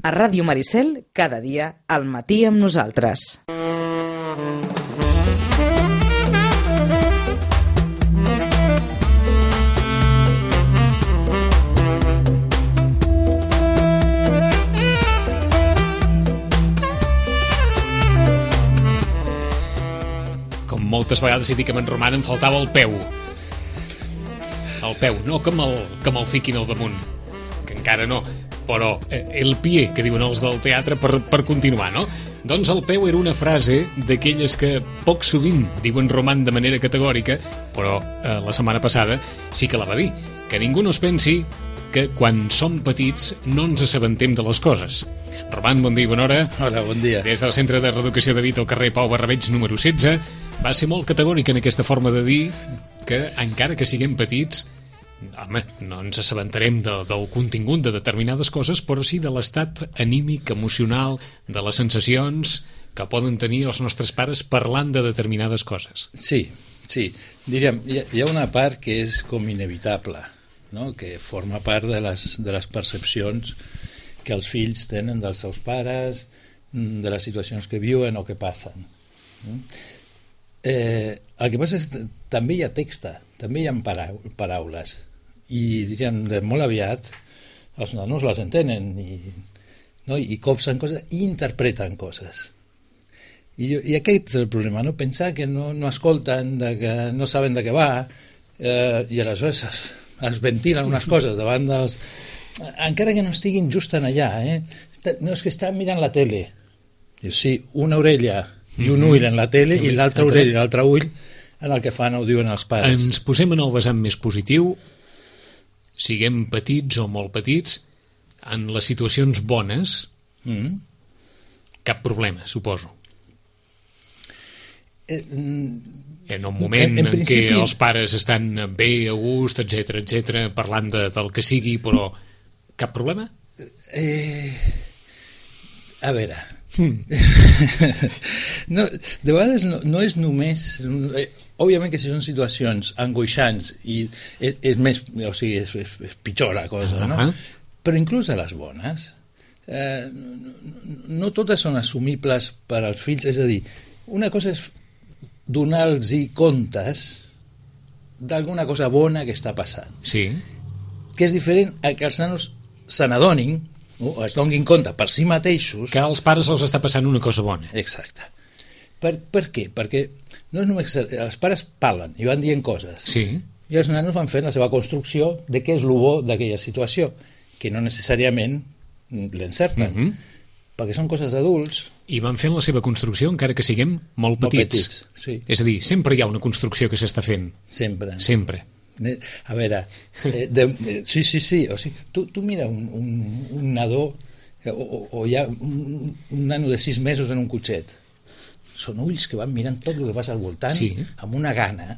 A Ràdio Maricel, cada dia al matí amb nosaltres. Com moltes vegades he dit que en Roman em faltava el peu. El peu, no que me'l fiquin al damunt, que encara no, però el pie, que diuen els del teatre per continuar, no? Doncs el peu era una frase d'aquelles que poc sovint diuen Roman de manera categòrica, però la setmana passada sí que la va dir, que ningú no es pensi que quan som petits no ens assabentem de les coses. Roman, bon dia i bona hora. Hola, bon dia. Des del Centre de Reeducació de Vita al carrer Pau Barrabeig número 16, va ser molt categòric en aquesta forma de dir que encara que siguem petits, home, no ens assabentarem del contingut de determinades coses, però sí de l'estat anímic, emocional, de les sensacions que poden tenir els nostres pares parlant de determinades coses. Sí. Diríem, hi ha una part que és com inevitable, no? Que forma part de les percepcions que els fills tenen dels seus pares, de les situacions que viuen o que passen. El que passa és que també hi ha text, també hi ha paraules, i diríem, molt aviat els nanos les entenen i copsen coses i interpreten coses. I aquest és el problema, no? Pensar que no escolten, que no saben de què va, i aleshores es ventilen unes coses davant dels... Encara que no estiguin just en allà, no, és que estan mirant la tele. Sí, una orella i un ull en la tele i l'altra orella i l'altre ull en el que fan o diuen els pares. Ens posem en el vessant més positiu, siguem petits o molt petits, en les situacions bones, cap problema, suposo. En un moment en principi... què els pares estan bé, a gust, etc, parlant del que sigui, però cap problema? A veure... No, de vegades no és només... Òbviament que si són situacions angoixants i és més, o sigui, és pitjor la cosa, no? Però inclús a les bones no totes són assumibles per als fills, és a dir, una cosa és donar-los comptes d'alguna cosa bona que està passant, sí, que és diferent a que els nanos se n'adonin o es donin compte per si mateixos que als pares els està passant una cosa bona. Exacte. Per què? Perquè no és només els pares parlen i van dient coses, sí, i els nanos van fent la seva construcció de què és el bo d'aquella situació, que no necessàriament l'encerten, perquè són coses d'adults. I van fent la seva construcció encara que siguem molt petits. Sí. És a dir, sempre hi ha una construcció que s'està fent. Sempre. A veure, sí, o sigui, tu mira un nadó o hi ha un nano de 6 mesos en un cotxet, són ulls que van mirant tot el que passa al voltant, sí, amb una gana,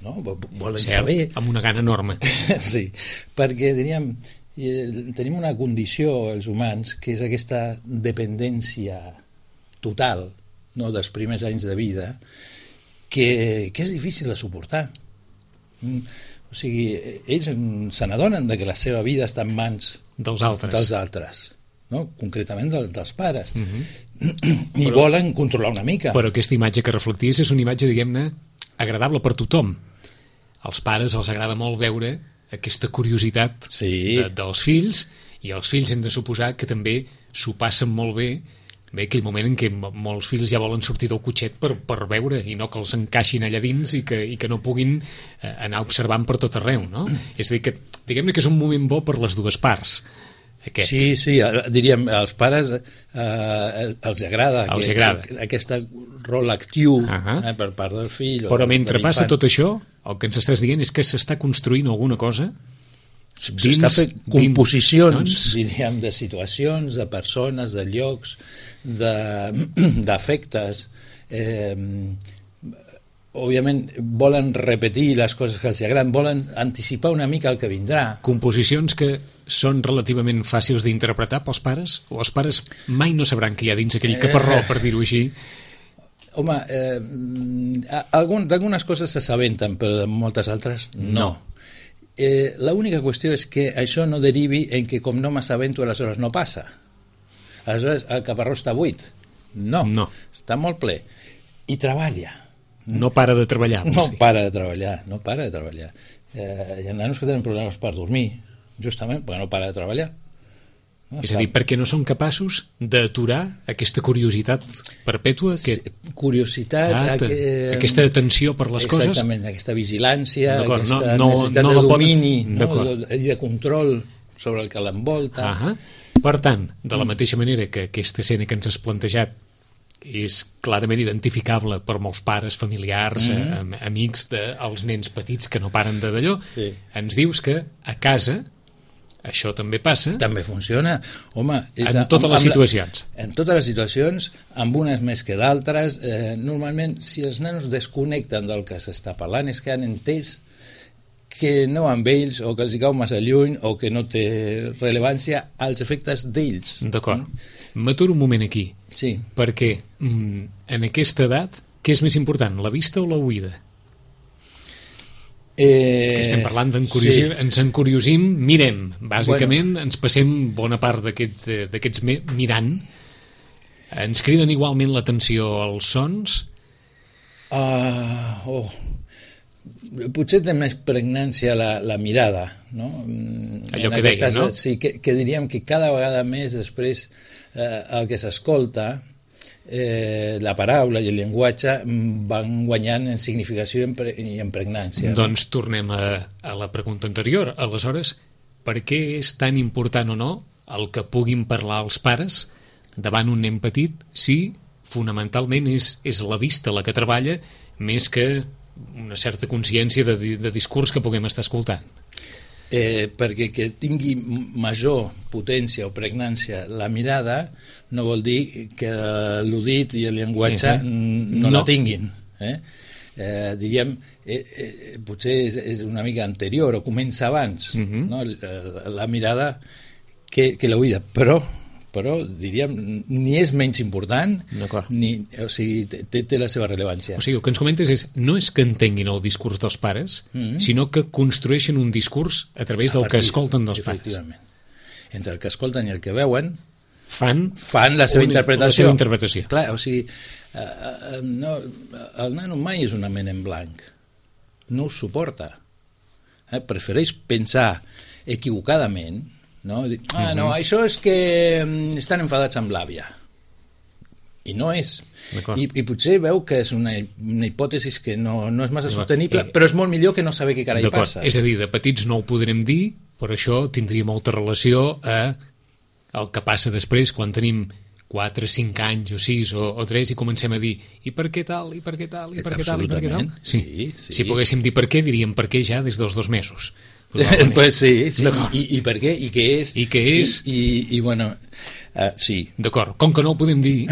no? Volen saber, amb una gana enorme. Sí, perquè diríem, tenim una condició els humans que és aquesta dependència total, no, dels primers anys de vida, que és difícil de suportar. O sigui, ells se n'adonen que la seva vida està en mans dels altres, no? Concretament dels pares, i volen controlar una mica. Però aquesta imatge que reflecties és una imatge, diguem-ne, agradable per tothom. Als pares els agrada molt veure aquesta curiositat dels fills, i els fills hem de suposar que també s'ho passen molt bé aquell moment en què molts fills ja volen sortir del cotxet per veure i no que els encaixin allà dins i que no puguin anar observant per tot arreu, no? És a dir, que diguem-ne que és un moment bo per les dues parts, aquest. Sí, diríem, als pares els agrada aquest rol actiu per part del fill. Però mentre passa tot això, el que ens estàs dient és que s'està construint alguna cosa s'està fent composicions, diríem, de situacions, de persones, de llocs, d'afectes. Òbviament volen repetir les coses que els agraden, volen anticipar una mica el que vindrà. Composicions que són relativament fàcils d'interpretar pels pares? O els pares mai no sabran què hi ha dins aquell caparró, per dir-ho així? Home, d'algunes coses s'assabenten, però de moltes altres no. L'única qüestió és que això no derivi en que com no m'assabento aleshores no passa. Aleshores, el caparró està buit? No. Està molt ple. I treballa. No para de treballar. No para de treballar. Hi ha nanos que tenen problemes per dormir, justament perquè no para de treballar. És a dir, perquè no són capaços d'aturar aquesta curiositat perpètua, aquesta atenció per les coses. Exactament, aquesta vigilància, aquesta necessitat de domini i de control sobre el que l'envolta. Per tant, de la mateixa manera que aquesta escena que ens has plantejat és clarament identificable per molts pares, familiars, amics dels nens petits que no paren d'allò, ens dius que a casa això també passa. També funciona. Home, en totes les situacions. En totes les situacions, amb unes més que d'altres. Normalment, si els nanos desconnecten del que s'està parlant, és que han entès que no amb ells, o que els hi cau massa lluny, o que no té rellevància als efectes d'ells. D'acord. M'aturo un moment aquí. Sí. Perquè en aquesta edat, què és més important, la vista o la oïda? Que estem parlant d'encuriosir, ens encuriosim, mirem, bàsicament ens passem bona part d'aquests mirant. Ens criden igualment l'atenció als sons? Potser té més pregnància la mirada, no? Allò que deia, no? Sí, que diríem que cada vegada més després el que s'escolta, la paraula i el llenguatge van guanyant en significació i en pregnància. Doncs tornem a la pregunta anterior. Aleshores, per què és tan important o no el que puguin parlar els pares davant un nen petit si fonamentalment és la vista la que treballa més que una certa consciència de discurs que puguem estar escoltant? Perquè que tingui major potència o pregnància la mirada no vol dir que l'udit i el llenguatge no la tinguin. Diríem, potser és una mica anterior o comença abans, no? La mirada que l'oïda, però diríem, ni és menys important, o sigui, té la seva rellevància. O sigui, el que ens comentes no és que entenguin el discurs dels pares, sinó que construeixen un discurs a través del que escolten dels pares. Efectivament. Entre el que escolten i el que veuen fan la seva interpretació. Clar, o sigui, el nano mai és una ment en blanc. No ho suporta. Prefereix pensar equivocadament. No, això és que estan enfadats amb l'àvia i no és, i potser veu que és una hipòtesi que no és massa sostenible, però és molt millor que no saber què carai passa. És a dir, de petits no ho podrem dir, però això tindria molta relació a el que passa després quan tenim 4, 5 anys o 6 o 3 i comencem a dir i per què tal, i per què tal, i per què tal, i per què tal. Sí. Si poguéssim dir per què, diríem per què ja des dels 2 mesos. Pues sí. I per què, i què és, i bueno, sí. D'acord, com que no ho podem dir,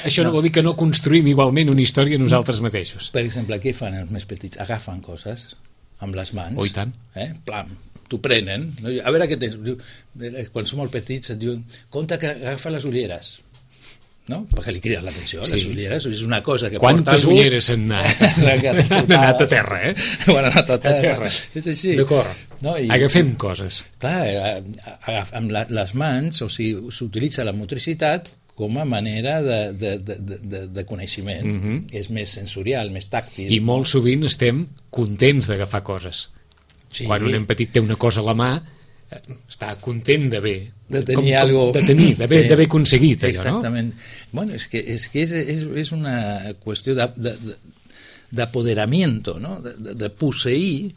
això no vol dir que no construïm igualment una història nosaltres mateixos. Per exemple, què fan els més petits? Agafen coses amb les mans. I tant. Plam, t'ho prenen. A veure què tens. Quan som molt petits et diuen, compte que agafa les ulleres. No? Perquè li criden l'atenció, les ulleres és una cosa que quantes porta algú... ulleres han anat a terra, han anat a terra. És així. D'acord, agafem coses. Clar, amb les mans, o sigui, s'utilitza la motricitat com a manera de coneixement. És més sensorial, més tàctil. I molt sovint estem contents d'agafar coses. Quan un nen petit té una cosa a la mà, està content d'haver aconseguit allò, exactament. Bueno, és que és una qüestió d'apoderamiento, no? De posseir,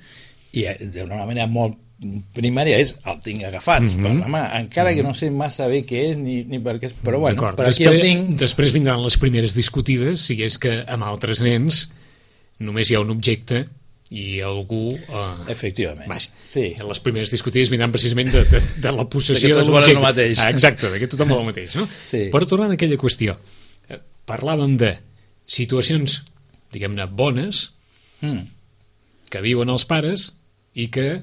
i d'una manera molt primària és el tinc agafat per la mà, encara que no sé massa bé què és ni per què és, però bueno, per aquí el tinc. Després vindran les primeres discutides, si és que amb altres nens només hi ha un objecte i algú... Efectivament. Sí. Les primeres discutides vindran precisament de la possessió de l'objecte. Exacte, que tothom vol el mateix. No? Sí. Però tornant a aquella qüestió, parlàvem de situacions, diguem-ne, bones, que viuen els pares i que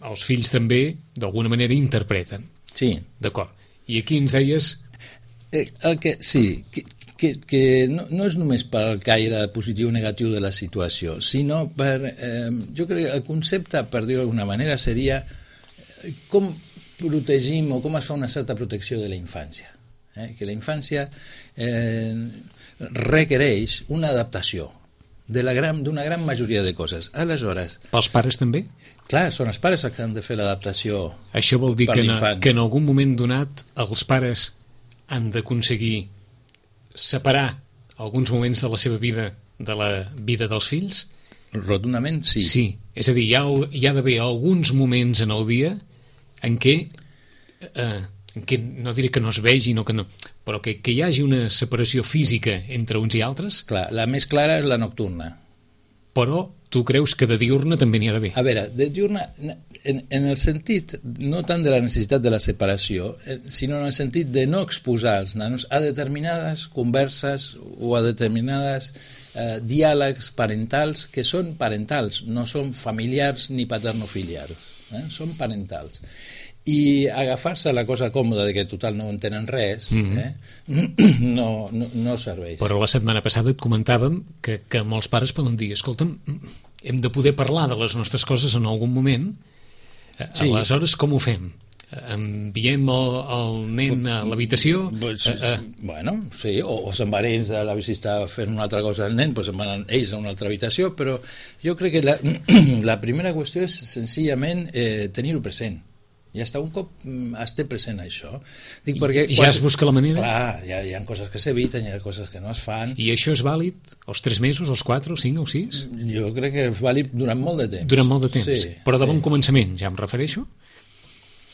els fills també, d'alguna manera, interpreten. Sí. D'acord. I aquí ens deies... Que no és només pel caire positiu o negatiu de la situació, sinó per... jo crec que el concepte, per dir-ho d'alguna manera, seria com protegim o com es fa una certa protecció de la infància. Que la infància requereix una adaptació d'una gran majoria de coses. Aleshores... Pels pares també? Clar, són els pares que han de fer l'adaptació. Això vol dir per l'infant. que en algun moment donat els pares han d'aconseguir separar alguns moments de la seva vida de la vida dels fills? Rotundament sí. Sí, és a dir, hi ha d'haver alguns moments en el dia en què no diré que no es vegin, però que hi hagi una separació física entre uns i altres. Clar, la més clara és la nocturna. Però tu creus que de diurna també n'hi ha d'haver? A veure, de diurna, en el sentit, no tant de la necessitat de la separació, sinó en el sentit de no exposar els nanos a determinades converses o a determinades diàlegs parentals que són parentals, no són familiars ni paternofiliars, són parentals. I agafar-se la cosa còmoda de que total no entenen res no serveix. Però la setmana passada et comentàvem que molts pares poden dir, escolta'm, hem de poder parlar de les nostres coses en algun moment, sí. Aleshores com ho fem? Enviem el nen a l'habitació? Bueno, sí, o se'n van ells a la visita fent una altra cosa al nen, doncs se'n van ells a una altra habitació, però jo crec que la primera qüestió és senzillament tenir-ho present. Ja està, un cop es té present això. Dic perquè ja es busca la manera? Clar, hi ha coses que s'eviten, hi ha coses que no es fan. I això és vàlid als 3 mesos, als 4, als 5 o 6? Jo crec que és vàlid durant molt de temps. Durant molt de temps, sí, però de bon començament, ja em refereixo?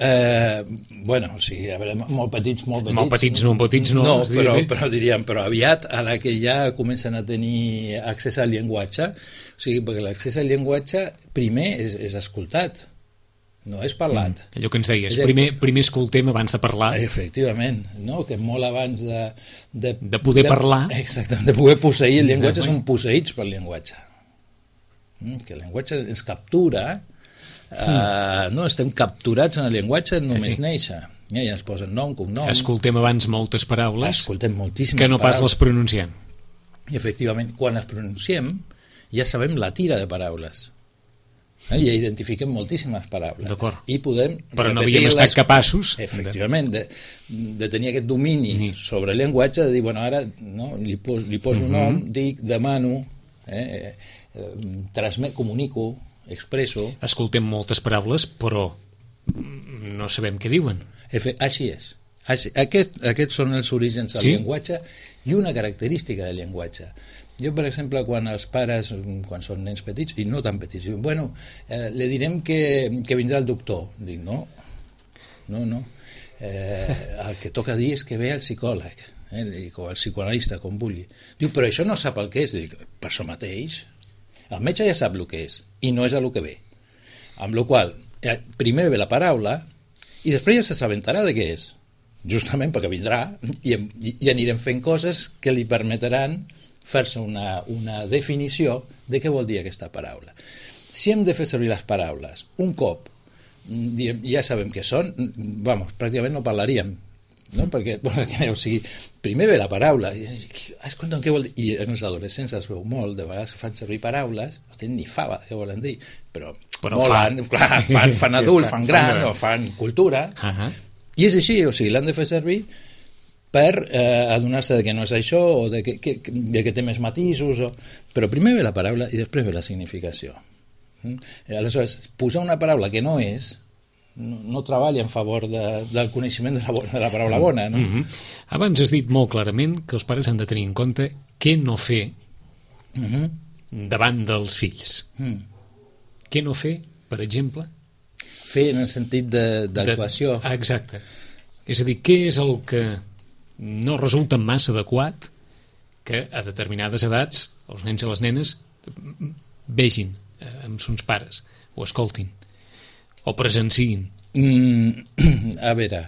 Bueno, sí, a veure, molt petits no, però diríem, però aviat, a la que ja comencen a tenir accés al llenguatge, o sigui, perquè l'accés al llenguatge primer és escoltat, no és parlat. Allò que ens deies, primer escoltem abans de parlar. Efectivament, no? Que molt abans de poder parlar. Exactament, de poder posseir el llenguatge, són posseïts pel llenguatge. Que el llenguatge ens captura, no, estem capturats en el llenguatge només néixer. Ja ens posen nom, cognom. Escoltem abans moltes paraules escoltem moltíssimes que no pas les pronunciem. Efectivament, quan les pronunciem ja sabem la tira de paraules. Ja identifiquem moltíssimes paraules. D'acord. I podem però no havíem estat capaços efectivament de tenir aquest domini sobre el llenguatge, de dir, bueno, ara no, li poso un nom, dic, demano, comunico, expresso. Escoltem moltes paraules, però no sabem què diuen. Així és. Aquests són els orígens del llenguatge i una característica del llenguatge. Jo, per exemple, quan els pares, quan són nens petits, i no tan petits, diuen, bueno, le direm que vindrà el doctor. Dic, no. El que toca dir és que ve el psicòleg, o el psicoanalista, com vulgui. Diu, però això no sap el que és. Dic, per això mateix. El metge ja sap el que és, i no és el que ve. Amb la qual cosa, primer ve la paraula, i després ja s'assabentarà de què és. Justament perquè vindrà, i anirem fent coses que li permetran fer-se una definició de què vol dir aquesta paraula. Si hem de fer servir les paraules un cop ja sabem què són, pràcticament no parlaríem, no? Perquè o sigui, primer ve la paraula, escolta'm, què vol dir? I els adolescents es veu molt, de vegades fan servir paraules, no tenen ni fava de què volen dir, però fan adult, fan gran o fan cultura, i és així, o sigui, l'han de fer servir per adonar-se que no és això o de que té més matisos, però primer ve la paraula i després ve la significació. Aleshores, posar una paraula que no és no treballa en favor del coneixement de la paraula bona, no? Abans has dit molt clarament que els pares han de tenir en compte què no fer davant dels fills. Què no fer, per exemple? Fer en el sentit d'actuació. Exacte. És a dir, què és el que no resulta massa adequat que a determinades edats els nens i les nenes vegin amb sons pares o escoltin o presenciïn? A veure,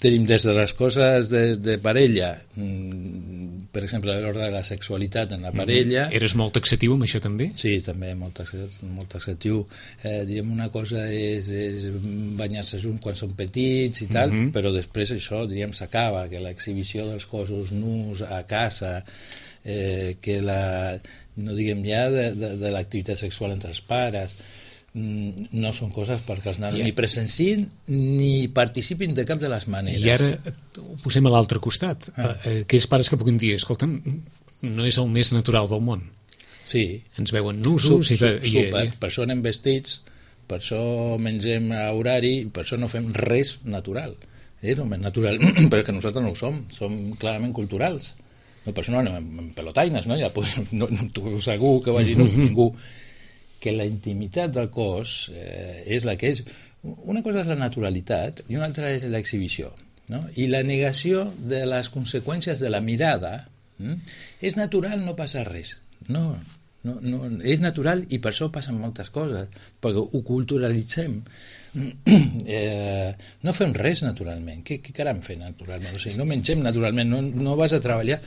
tenim des de les coses de parella, per exemple, l'ordre de la sexualitat en la parella. Eres molt taxatiu amb això també? Sí, també molt taxatiu. Diríem, una cosa és banyar-se junts quan són petits i tal, però després això, diríem, s'acaba, que l'exhibició dels cossos nus a casa, que no diguem ja de l'activitat sexual entre els pares, no són coses perquè els nanos ni presencien ni participin de cap de les maneres. I ara ho posem a l'altre costat. Aquells pares que puguin dir, escolta'm, no és el més natural del món. Sí. Ens veuen nusos. Super. Per això anem vestits, per això mengem a horari, per això no fem res natural. És el més natural, perquè nosaltres no ho som clarament culturals. No, per això no anem en pelotaines, no? Ja, pues, no segur que vagi ningú. Que la intimitat del cos és la que és. Una cosa és la naturalitat i una altra és l'exhibició, no? I la negació de les conseqüències de la mirada. És natural, no passa res. No, és natural i per això passen moltes coses, perquè ho culturalitzem. No fem res naturalment. Què caram fer naturalment? O sigui, no mengem naturalment, no vas a treballar.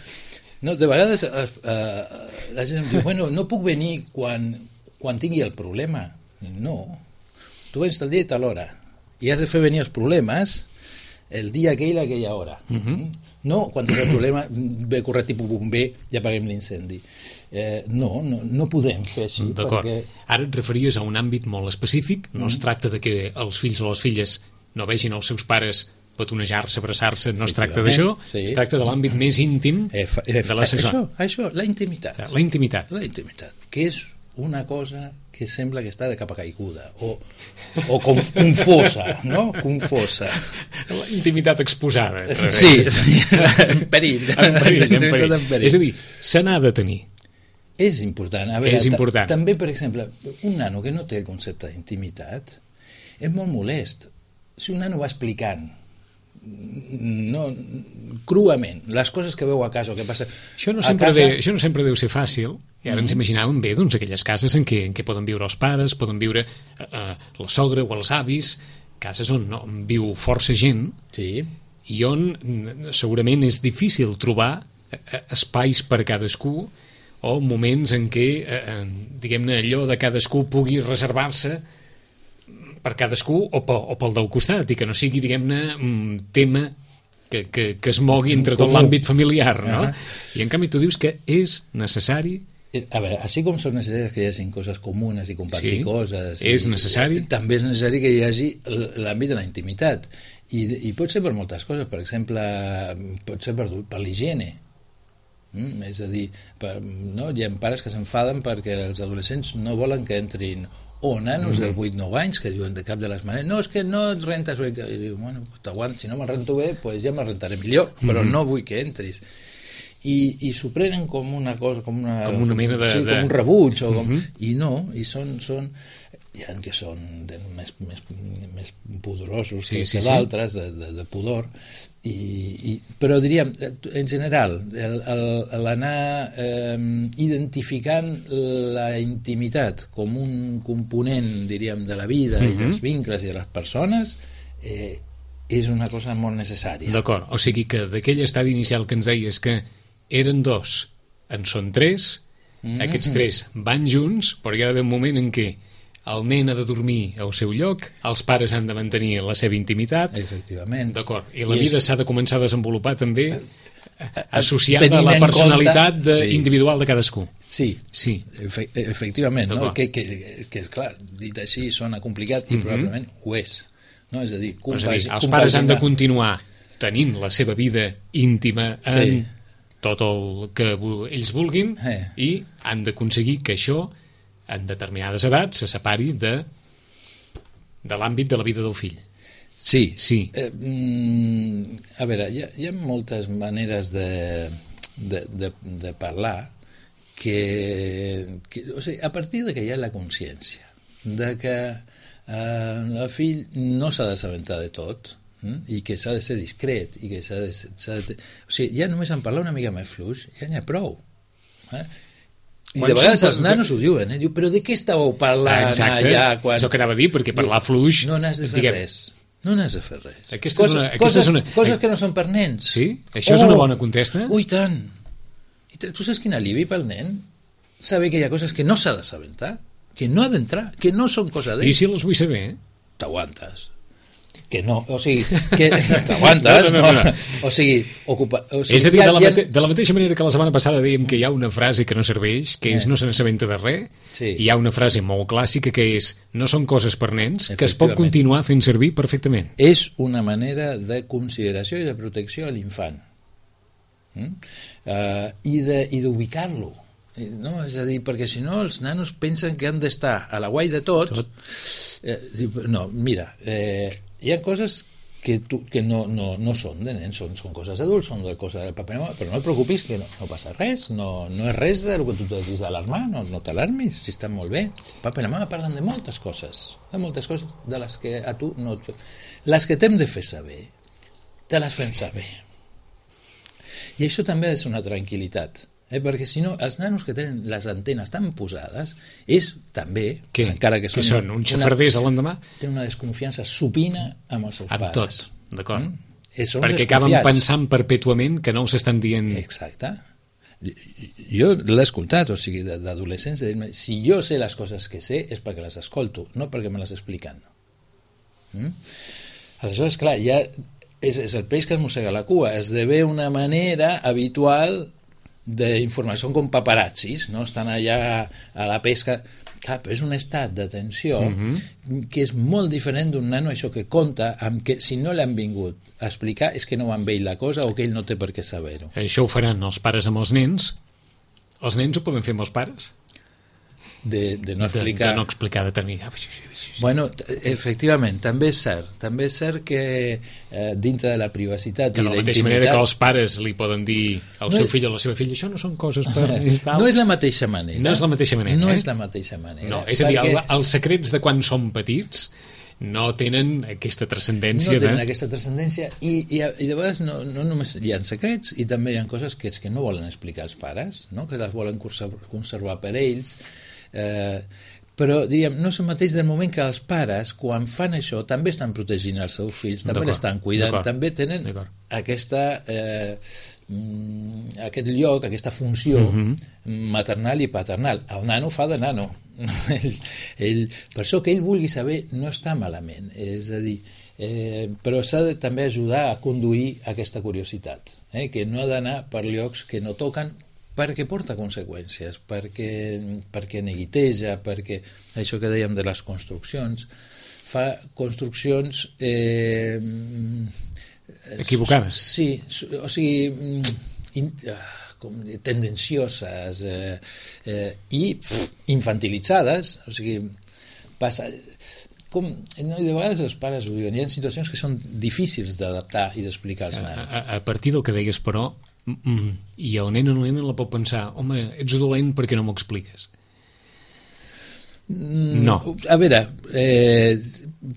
No, de vegades la gent em diu, bueno, no puc venir quan tingui el problema. No, tu vens tal dia i tal hora i has de fer venir els problemes el dia aquell a aquella hora. No, quan tens el problema ve correr tipus bomber i apaguem l'incendi. No podem fer així. D'acord. Ara et referies a un àmbit molt específic. No es tracta de que els fills o les filles no vegin els seus pares petonejar-se, abraçar-se, no es tracta d'això, es tracta de l'àmbit més íntim de la sexualitat. Això, la intimitat. La intimitat, que és una cosa que sembla que està de capa caiguda o confosa, no? Confosa. La intimitat exposada. Sí, en perill. És a dir, se n'ha de tenir. És important. A veure, és important. També, per exemple, un nano que no té el concepte d'intimitat és molt molest. Si un nano va explicant cruament les coses que veu a casa o que passa això no sempre deu ser fàcil. I ara ens imaginàvem bé aquelles cases en què poden viure els pares, poden viure la sogra o els avis, cases on viu força gent, i on segurament és difícil trobar espais per a cadascú o moments en què diguem-ne allò de cadascú pugui reservar-se per cadascú o pel del costat i que no sigui, diguem-ne, un tema que es mogui entre tot l'àmbit familiar, no? I en canvi tu dius que és necessari. A veure, així com són necessàries que hi hagi coses comunes i compartir coses, és necessari. També és necessari que hi hagi l'àmbit de la intimitat i pot ser per moltes coses. Per exemple, pot ser per l'higiene. És a dir, hi ha pares que s'enfaden perquè els adolescents no volen que entrin o nanos de 8-9 anys que diuen de cap de les maneres, no, és que no et rentes bé. I diu, bueno, t'aguant, si no me'l rento bé pues ja me'l rentaré millor, però no vull que entris. I s'ho prenen com una cosa, com una mena de... Sí, com un rebuig, o com, i no, i són hi ha que són més pudorosos que d'altres, de pudor, però diríem, en general, l'anar identificant la intimitat com un component, diríem, de la vida i dels vincles i de les persones, és una cosa molt necessària. D'acord, o sigui que d'aquell estadi inicial que ens deies que eren 2, en són 3, aquests 3 van junts, però hi ha d'haver un moment en què el nen ha de dormir al seu lloc, els pares han de mantenir la seva intimitat. Efectivament. D'acord, i la vida s'ha de començar a desenvolupar també associada a la personalitat individual de cadascú. Sí. Efectivament, no? Que és clar, dit així sona complicat i probablement ho és. No? És a dir, els pares han de continuar tenint la seva vida íntima en tot el que ells vulguin i han d'aconseguir que això en determinades edats se separi de l'àmbit de la vida del fill. Sí. A veure, hi ha moltes maneres de parlar o sigui, a partir de que hi ha la consciència de que el fill no s'ha d'assabentar de tot i que s'ha de ser discret i que s'ha de... O sigui, ja només en parlar una mica més fluix ja n'hi ha prou. I de vegades els nanos ho diuen, diu, però de què estàveu parlant allà? És el que anava a dir, perquè parlar fluix... No n'has de fer res. Coses que no són per nens. Sí? Això és una bona contesta? Ui, tant! Tu saps quin alivi pel nen? Saber que hi ha coses que no s'ha d'assabentar, que no ha d'entrar, que no són cosa d'ell. I si les vull saber? T'aguantes. Que no, o sigui, que t'aguantes, no. O sigui, és a dir, de la mateixa manera que la setmana passada dèiem que hi ha una frase que no serveix, que és no se n'assabenta de res, hi ha una frase molt clàssica que és no són coses per nens, que es pot continuar fent servir perfectament. És una manera de consideració i de protecció a l'infant. I d'ubicar-lo. No? És a dir, perquè si no els nanos pensen que han d'estar a la guai de tot. No, mira, hi ha coses que no són de nens, són coses adults, són coses del paper, però no et preocupis, que no passa res, no és res del que tu t'has d'alarmar, no t'alarmis, si està molt bé. Papa i la mama parlen de moltes coses de les que a tu no et... Les que t'hem de fer saber, te les fem saber. I això també és una tranquil·litat, perquè si no, els nanos que tenen les antenes tan posades és també, encara que són un xafarders a l'endemà, tenen una desconfiança supina amb els seus pares. Amb tot, d'acord. Perquè acaben pensant perpètuament que no els estan dient... Exacte. Jo l'he escoltat, o sigui, d'adolescents, si jo sé les coses que sé és perquè les escolto, no perquè me les expliquen. Aleshores, clar, ja és el peix que es mossega la cua, esdevé una manera habitual d'informació, són com paparazzis, no? Estan allà a la pesca. Clar, però és un estat d'atenció que és molt diferent d'un nano, això que conta, amb que si no l'han vingut a explicar és que no va amb ell la cosa o que ell no té per què saber-ho. Això ho faran els pares amb els nens ho poden fer amb els pares? De no explicar... De no explicar determinat. Bueno, efectivament, també és cert que dintre de la privacitat i la intimitat... De la mateixa manera que els pares li poden dir al seu fill o a la seva filla, això no són coses per... No és la mateixa manera. No és la mateixa manera. No és la mateixa manera. No, és a dir, els secrets de quan són petits no tenen aquesta transcendència. No tenen aquesta transcendència i de vegades no només hi ha secrets i també hi ha coses que no volen explicar els pares, no? Que les volen conservar per ells. Però diríem, no és el mateix del moment que els pares quan fan això també estan protegint els seus fills, també l'estan cuidant, també tenen aquest lloc, aquesta funció maternal i paternal. El nano fa de nano. Per això que ell vulgui saber no està malament, és a dir, però s'ha de també ajudar a conduir aquesta curiositat, que no ha d'anar per llocs que no toquen, perquè porta conseqüències, perquè neguiteja, perquè això que dèiem de les construccions, fa construccions equivocades. Sí, o sigui, tendencioses i infantilitzades, o sigui, passa... de vegades els pares ho diuen, hi ha situacions que són difícils d'adaptar i d'explicar als nanos. A partir del que deies, però, i el nen o la nena la pot pensar, home, ets dolent perquè no m'ho expliques. No. A veure,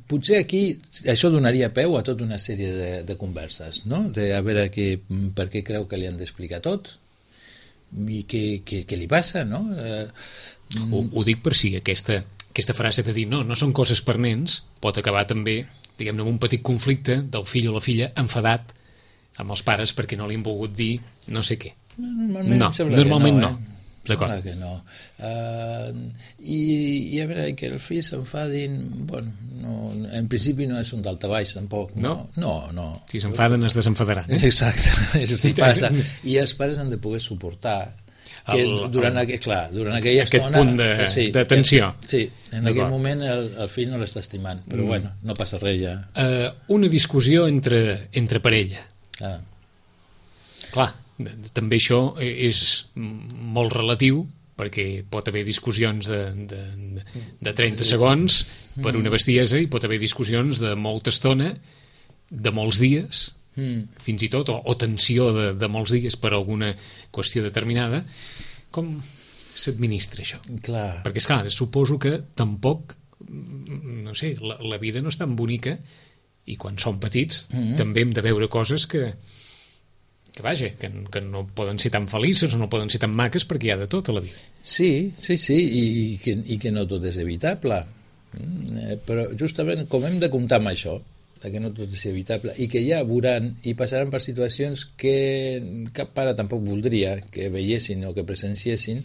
potser aquí això donaria peu a tota una sèrie de converses, no? A veure per què creu que li han d'explicar tot i què li passa, no? Ho dic per si aquesta frase de dir no són coses per nens pot acabar també, diguem-ne, amb un petit conflicte del fill o la filla enfadat amb els pares perquè no li han volgut dir no sé què. Normalment no. D'acord. Que no. I a veure, que els fills s'enfadin, bueno, en principi no és un daltabaix tampoc. No. Si s'enfaden es desenfadaran. Exacte, és el que passa. I els pares han de poder suportar que durant aquella estona... Aquest punt de tensió. Sí, en aquell moment el fill no l'està estimant, però bueno, no passa res ja. Una discussió entre parella. Clar, també això és molt relatiu, perquè pot haver discussions de 30 segons per una bestiesa i pot haver discussions de molta estona, de molts dies, fins i tot, o tensió de molts dies per alguna qüestió determinada. Com s'administra això? Clar. Perquè, esclar, suposo que tampoc, no sé, la vida no és tan bonica i quan som petits també hem de veure coses que no poden ser tan felices o no poden ser tan maques perquè hi ha de tot a la vida. Sí, i que no tot és evitable. Però justament com hem de comptar amb això, que no tot és evitable, i que ja veuran i passaran per situacions que cap pare tampoc voldria que veiessin o que presenciessin,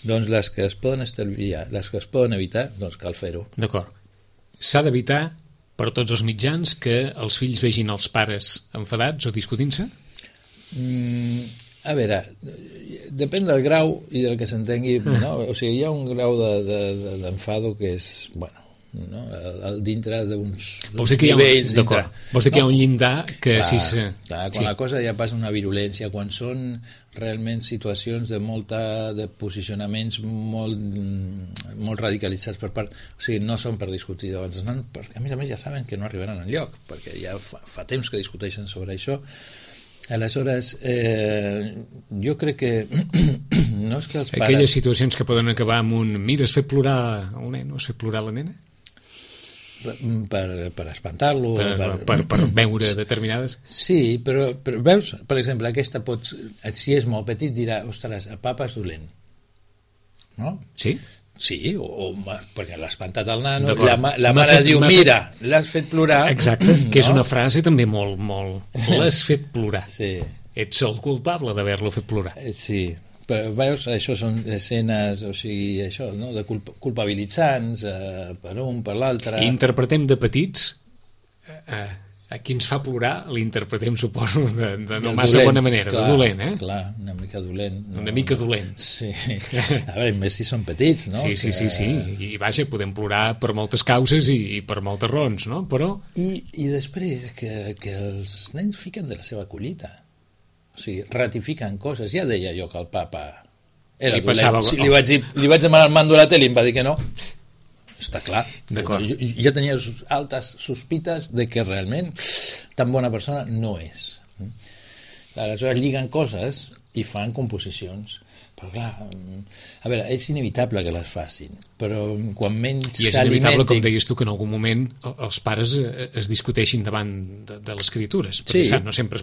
doncs les que es poden estalviar, les que es poden evitar, doncs cal fer-ho. D'acord. S'ha d'evitar per tots els mitjans que els fills vegin els pares enfadats o discutint-se? A veure, depèn del grau i del que s'entengui, no? O sigui, hi ha un grau d'enfado que és, bueno, no? Dintre d'uns nivells dintre. Vols dir que hi ha un llindar que clar, quan la cosa ja passa una virulència, quan són realment situacions de posicionaments molt radicalitzats per part, o sigui, no són per discutir davant dels nanos, perquè a més ja saben que no arribaran enlloc, perquè ja fa temps que discuteixen sobre això. Aleshores, jo crec que no és que els pares... Aquelles situacions que poden acabar amb un mira, has fet plorar el nen o has fet plorar la nena? Per espantar-lo, per veure determinades... Sí, però veus, per exemple, aquesta si és molt petit dirà, ostres, el papa és dolent, no? Sí? Sí, perquè l'ha espantat el nano, la mare diu, mira, l'has fet plorar. Exacte, que és una frase també molt... L'has fet plorar. Sí. Ets el culpable d'haver-lo fet plorar. Sí, però veus, això són escenes, o sigui, això, no? De culpabilitzants, per un, per l'altre. Interpretem de petits, a qui ens fa plorar l'interpretem, suposo, de no massa dolent, bona manera, clar, de dolent, eh? Clar, una mica dolent. Una mica dolent. Sí, a veure, més si són petits, no? Sí, i vaja, podem plorar per moltes causes i per moltes raons, no? Però... I després que els nens fiquen de la seva collita. O sigui, ratifiquen coses. Ja deia jo que el papa era dolent. Si li vaig demanar el mando a la tele i em va dir que no. Està clar. Jo ja tenia altes sospites de que realment tan bona persona no és. Aleshores lliguen coses i fan composicions. Però clar, a veure, és inevitable que les facin, però quan menys s'alimentin... I és inevitable, com deies tu, que en algun moment els pares es discuteixin davant de les criatures, perquè sí. No sempre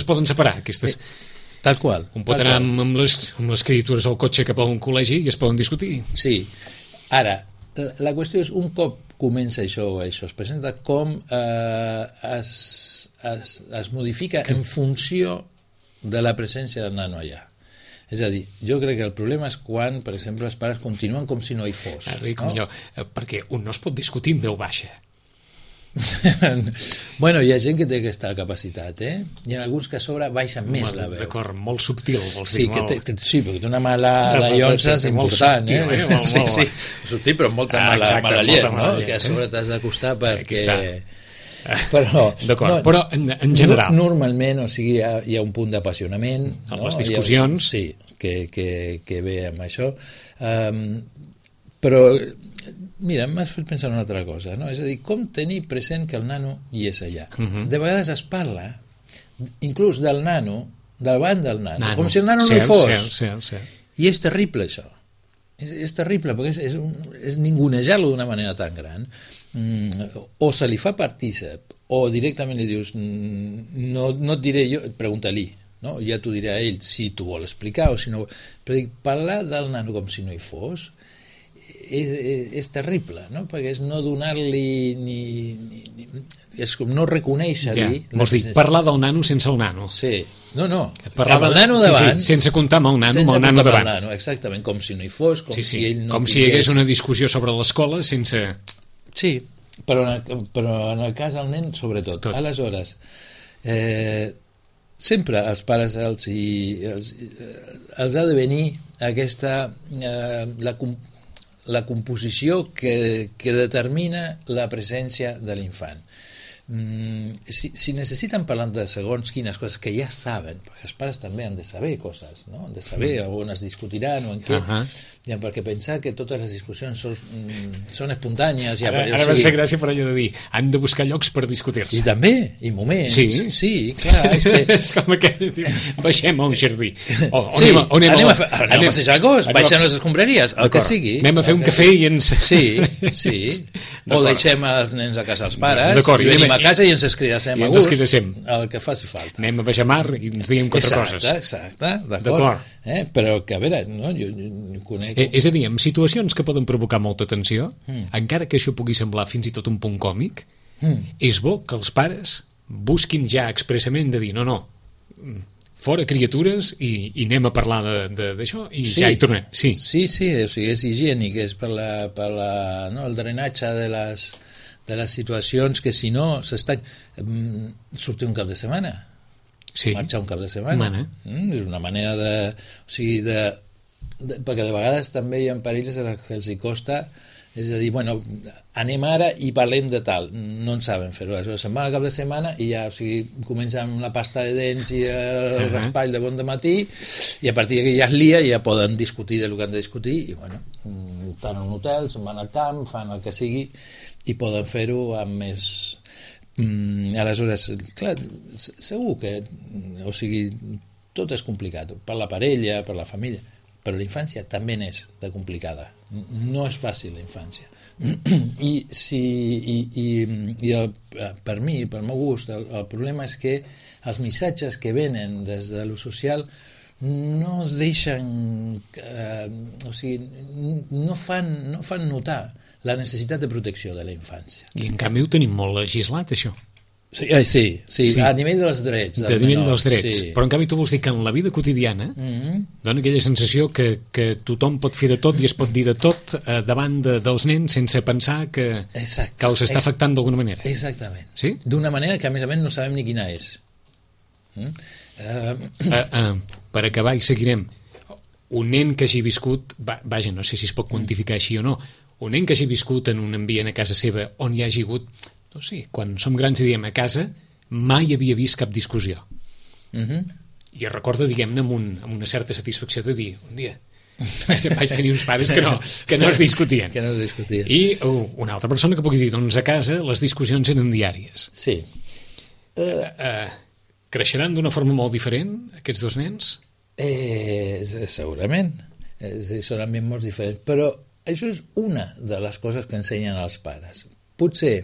es poden separar aquestes... Tal qual. Un pot anar amb les criatures al cotxe cap a un col·legi i es poden discutir. Sí. Ara, la qüestió és, un cop comença això es presenta com es modifica en funció de la presència del nano allà. És a dir, jo crec que el problema és quan, per exemple, els pares continuen com si no hi fos. Com allò, perquè un no es pot discutir en veu baixa. Bueno, hi ha gent que té aquesta capacitat, i en alguns que a sobre baixen més la veu. D'acord, molt subtil, vols dir. Sí, perquè té una mala llonça important, Sí, subtil, però molta mala llet, no? Que a sobre t'has d'acostar perquè... Però en general normalment, o sigui, hi ha un punt d'apassionament, les discussions, sí, que ve amb això, però mira, m'has fet pensar en una altra cosa, no? És a dir, com tenir present que el nano hi és allà. De vegades es parla inclús del nano, davant del nano, com si el nano no hi fos, i és terrible això. És terrible perquè és ningunejar-lo d'una manera tan gran, o se li fa partícip o directament li dius no et diré jo, pregunta-li, no? Ja t'ho diré a ell si t'ho vol explicar o si no, però dic, parlar del nano com si no hi fos és terrible, no? Perquè és no donar-li és com no reconèixer-li vols dir, parlar del nano sense el nano. Sí, no parlar del nano davant, sense comptar amb el nano, amb el nano davant, exactament, com si no hi fos, com si ell no com si hi hagués una discussió sobre l'escola sense... Sí, però en el cas del nen sobretot. Aleshores, sempre als pares els ha de venir aquesta la composició que determina la presència de l'infant. Si necessiten parlar de segons quines coses que ja saben, perquè els pares també han de saber coses, no? Han de saber on es discutiran o en què, perquè pensar que totes les discussions són espontànies... Ara vas fer gràcia per allò de dir han de buscar llocs per discutir-se. I també, i moments. Sí, clar. És com aquell... Baixem a un jardí. Anem a passejar cos, baixem les escombraries, el que sigui. Anem a fer un cafè i ens... Sí. O deixem els nens a casa els pares, i venim a casa i ens escridassem a gust, el que faci falta. Anem a baixar mar i ens diguem quatre coses. Exacte, d'acord. Però que, a veure, no? Jo conec... És a dir, en situacions que poden provocar molta tensió, encara que això pugui semblar fins i tot un punt còmic, és bo que els pares busquin ja expressament de dir no, fora criatures i anem a parlar d'això i ja hi tornem. Sí, o sigui, és higiènic, és per el drenatge de les situacions que si no s'estan... sortir un cap de setmana, marxar un cap de setmana. És una manera de... O sigui, perquè de vegades també hi ha parelles a les que els hi costa, és a dir, bueno, anem ara i parlem de tal, no en saben fer-ho, aleshores se'n van al cap de setmana i ja, o sigui, comencen amb la pasta de dents i el raspall de bon dematí i a partir d'aquí ja es lia i ja poden discutir del que han de discutir i bueno, estan a un hotel, se'n van al camp, fan el que sigui i poden fer-ho amb més... aleshores, clar, segur que, o sigui, tot és complicat, per la parella, per la família, però la infància també n'és de complicada, no és fàcil la infància per mi, pel meu gust, el problema és que els missatges que venen des de lo social no deixen o sigui, no fan notar la necessitat de protecció de la infància. I en canvi ho tenim molt legislat, això. Sí, a nivell dels drets. A nivell dels drets. Sí. Però en canvi tu vols dir que en la vida quotidiana dona aquella sensació que tothom pot fer de tot i es pot dir de tot davant dels nens sense pensar que els està afectant d'alguna manera. Exactament. Sí? D'una manera que a més no sabem ni quina és. Per acabar i seguirem. Un nen que hagi viscut, vaja, no sé si es pot quantificar així o no, un nen que hagi viscut en un ambient a casa seva on hi hagi hagut, no sé, quan som grans i diem a casa, mai havia vist cap discussió. I es recorda, diguem-ne, amb una certa satisfacció de dir, un dia vaig tenir uns pares que no es discutien. I una altra persona que pugui dir, doncs a casa les discussions eren diàries. Sí. Creixeran d'una forma molt diferent, aquests dos nens? Segurament. Són ambient molt diferents. Però això és una de les coses que ensenyen els pares. Potser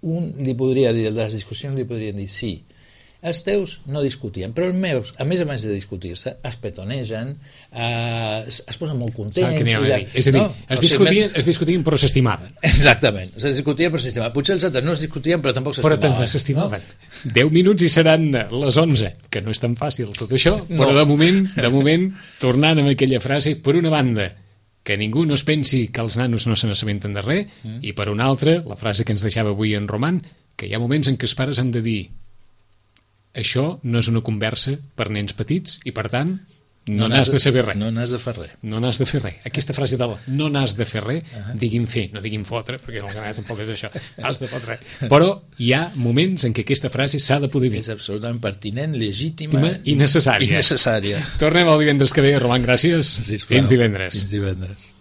li podria dir, de les discussions li podrien dir sí, els teus no discutien, però els meus, a més de discutir-se, es petonegen, es posen molt contents. És a dir, es discutien però s'estimaven. Exactament, es discutien però s'estimaven. Potser els altres no es discutien però tampoc s'estimaven. Però també s'estimaven. 10 minuts i seran les 11, que no és tan fàcil tot això, però de moment, tornant amb aquella frase, per una banda, que ningú no es pensi que els nanos no se n'assabenten de res, i per una altra, la frase que ens deixava avui en Roman, que hi ha moments en què els pares han de dir això no és una conversa per nens petits i per tant no n'has de saber res. No n'has de fer res. No n'has de fer res. Aquesta frase del no n'has de fer res, diguin fer, no diguin fotre, perquè el canalla tampoc és això, has de fotre. Però hi ha moments en què aquesta frase s'ha de poder dir. És absolutament pertinent, legítima i necessària. Tornem el divendres que ve, Roman, gràcies. Sisplau. Fins divendres. Fins divendres.